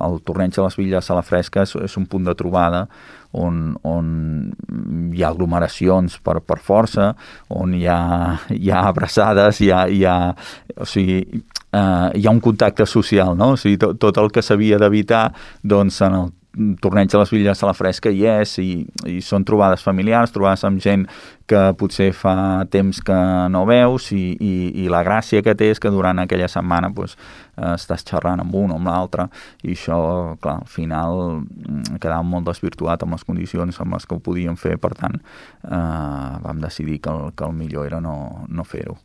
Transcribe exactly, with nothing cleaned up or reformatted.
el torneig de les Villes a la Fresca és, és un punt de trobada on, on hi ha aglomeracions per, per força, on hi ha, hi ha abraçades, hi ha, hi ha, o sigui, eh, hi ha un contacte social, no? O sigui, tot, tot el que s'havia d'evitar, doncs, en el torneig de les Villes a la Fresca hi és, i, i són trobades familiars, trobades amb gent que potser fa temps que no veus, i, i, i la gràcia que té és que durant aquella setmana doncs, eh, estàs xerrant amb un o amb l'altre, i això, clar, al final quedava molt desvirtuat amb les condicions amb les que ho podíem fer, per tant, eh, vam decidir que el, que el millor era no, no fer-ho.